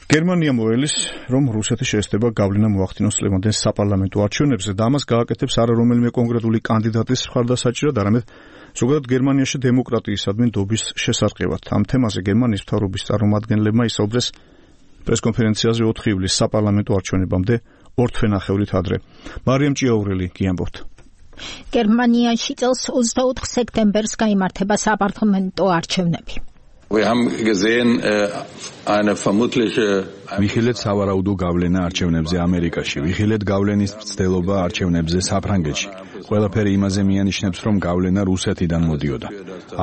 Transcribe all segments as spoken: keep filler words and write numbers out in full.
გერმანია მოელის, რომ რუსეთის შეესწება გავლენა მოახდინოს წლევანდელ საპარლამენტო არჩევნებზე და ამას გააკეთებს არა რომელიმე კონკრეტული კანდიდატის მხარდასაჭირად, არამედ ზოგადად გერმანიაში დემოკრატიისადმი ნდობის შესარყევად. Ამ თემაზე გერმანიის მთავრობის წარმომადგენლებმა ისაუბრეს პრესკონფერენციაზე ოთხი ივლისის საპარლამენტო არჩევნებამდე ორ თვენახევრით adre. მარიამ ჭიაურელი გიამბობთ. გერმანიაში წელს ოცდაოთხ სექტემბერს გაიმართება საპარლამენტო არჩევნები. Wir haben gesehen äh, eine vermutliche ვიხილეთ სავარაუდო გავლენა არჩევნებზე ამერიკაში, ვიხილეთ გავლენის მცდელობა არჩევნებზე საფრანგეთში. ყველაფერი იმაზე მიანიშნებს, რომ გავლენა რუსეთიდან მოდიოდა.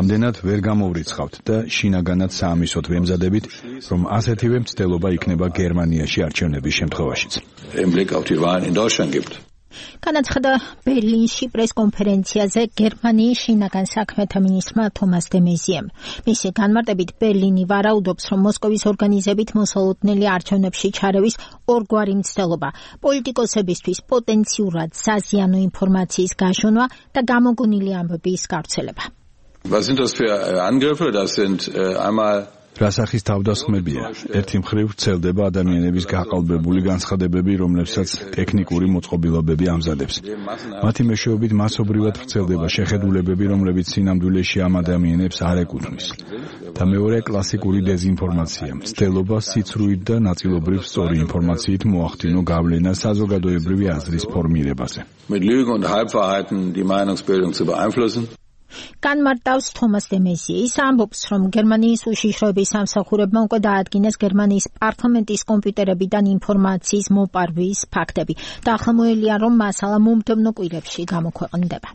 ამდენად ვერ გამოვრიცხავთ და შინაგანად საამისოდ ვემზადებით, რომ ასეთივე მცდელობა იქნება გერმანიაში არჩევნების შემთხვევაშიც. Im Blick auf die Wahlen in Deutschland gibt. განაცხადა ბერლინში პრესკონფერენციაზე გერმანიის შინაგან საქმეთა მინისტრმა თომას დე მეზიემ. მისი განმარტებით ბერლინი ვარაუდობს, რომ მოსკოვის ორგანიზებით მოსალოდნელი არჩევნებში ჩარევის ორგვარი მცდელობა, პოლიტიკოსებისთვის პოტენციურად საზიანო ინფორმაციის გაშონა და გამოგონილი ამბების გავრცელება. Was sind das für Angriffe? Das sind äh, einmal რა სახის თავდასხმებია? ერთი მხრივ ვრცელდება ადამიანების გაყალბებული განცხადებები, რომლებსაც ტექნიკური მოწყობილობები ამზადებს. მათი მეშვეობით მასობრივად ვრცელდება შეხედულებები, რომლებიც სინამდვილეში ამ ადამიანებს არ ეკუთვნის. და მეორე კლასიკური დეზინფორმაცია, მცდელობა სიცრუით და ნაწილობრივ სწორი ინფორმაციით მოახდინო გავლენა საზოგადოებრივი აზრის ფორმირებაზე. Mit Lügen und Halbwahrheiten die Meinungsbildung zu beeinflussen. განმარტავს თომას დე მეზიე. ის ამბობს, რომ გერმანიის უშიშროების სამსახურებმა უკვე დაადგინეს გერმანიის პარლამენტის კომპიუტერებიდან ინფორმაციის მოპარვის ფაქტები და ახლა მოელია, რომ მასალა მომდევნო კვირებში გამოქვეყნდება.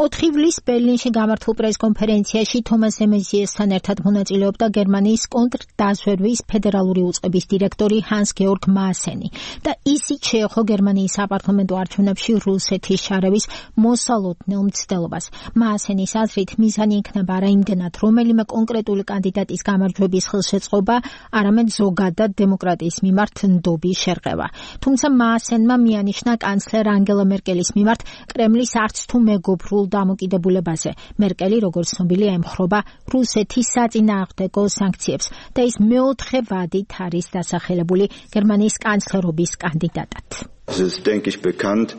ოთხი ივლისს ბერლინში გამართულ პრესკონფერენციაში თომას დე მეზიესთან ერთად მონაწილეობდა გერმანიის კონტრდაზვერვის ფედერალური უწყების დირექტორი ჰანს გეორგ მაასენი და ისიც შეეხო გერმანიის საპარლამენტო არჩევნებში რუსეთის ჩარევის მოსალოდნელ მცდელობას. მაასენის აზრით მიზანი იქნება არა იმდენად რომელიმე კონკრეტული კანდიდატის გამარჯვების ხელშეწყობა, არამედ ზოგადად დემოკრატიის მიმართ ნდობის შერყევა. თუმცა მაასენმა მიანიშნა კანცლერ ანგელა მერკელის მიმართ კრემლის არც თუ მეგობრულ დამოკიდებულებაზე. მერკელი, როგორც ცნობილია, ემხრობა რუსეთის საწინააღმდეგო სანქციებს და ის მეოთხე ვადით არის დასახელებული გერმანიის კანცლერობის კანდიდატად. Es ist, denke ich, bekannt,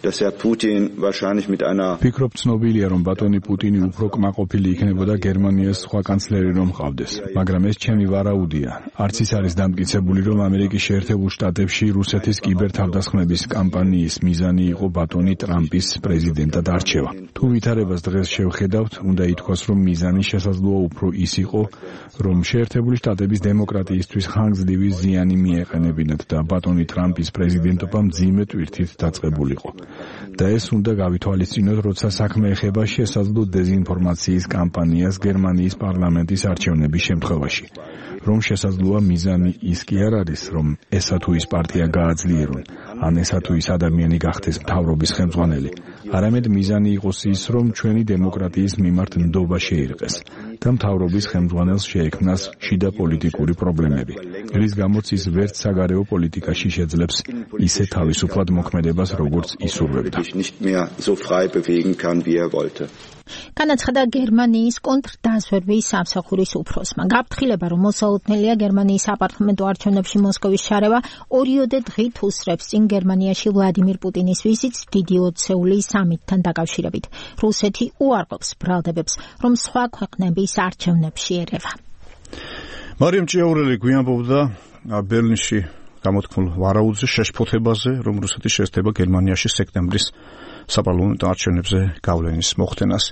dass Herr Putin wahrscheinlich mit einer ფიქრობ ცნობილია, რომ ბატონი პუტინი უფრო კმაყოფილი იქნებოდა გერმანიას სხვა კანცლერი რომ ყავდეს, მაგრამ ეს ჩემი ვარაუდია. არც ის არის დამტკიცებული, რომ ამერიკის შეერთებულ შტატებში რუსეთის კიბერთავდასხმების კამპანიის მიზანი იყო ბატონი ტრამპის პრეზიდენტად არჩევა. თუ ვითარებას დღეს შევხედავთ, უნდა ითქვას, რომ მიზანი შესაძლოა უფრო ის იყო, რომ შეერთებული შტატების დემოკრატიისთვის ხანგრძლივი ზიანი მიეყენებინათ და ბატონი ტრამპის პრეზიდენტობა მძიმე ტვირთით დაწყებულიყო. და ეს უნდა გავითვალისწინოთ, როცა საქმე ეხება შესაძლო დეზინფორმაციის კამპანიას გერმანიის პარლამენტის არჩევნების შემთხვევაში. რომ შესაძლოა მიზანი ის კი არ არის, რომ ესა თუ ის პარტია გააძლიერონ, ან ესა თუ ის ადამიანი გახდეს მთავრობის ხელმძღვანელი, არამედ მიზანი იყოს ის, რომ ჩვენი დემოკრატიის მიმართ ნდობა შეირყეს და მთავრობის ხელმძღვანელს შეექმნას შიდა პოლიტიკური პრობლემები, რის გამოც ის ვერც საგარეო პოლიტიკაში შეძლებს ისე თავისუფლად მოქმედებას, როგორც ისურვებდა. განაცხადა გერმანიის კონტრდაზვერვის სამსახურის უფროსმა. გაფრთხილება, რომ მოსალოდნელია გერმანიის საპარლამენტო არჩევნებში მოსკოვის ჩარევა, ორიოდე დღით უსწრებს წინ გერმანიაში ვლადიმირ პუტინის ვიზიტს დიდი ოცეული სამიტთან დაკავშირებით. რუსეთი უარყოფს ბრალდებებს, რომ სხვა ქვეყნების არჩევნებში ერევა. მარიამ ჭიაურელი გვიამბობდა ბერლინში გამოთქმულ ვარაუდზე, შეშფოთებაზე, რომ რუსეთის შეესწება გერმანიაში სექტემბრის საპარლამენტო არჩევნებზე გავლენის მოხდენას.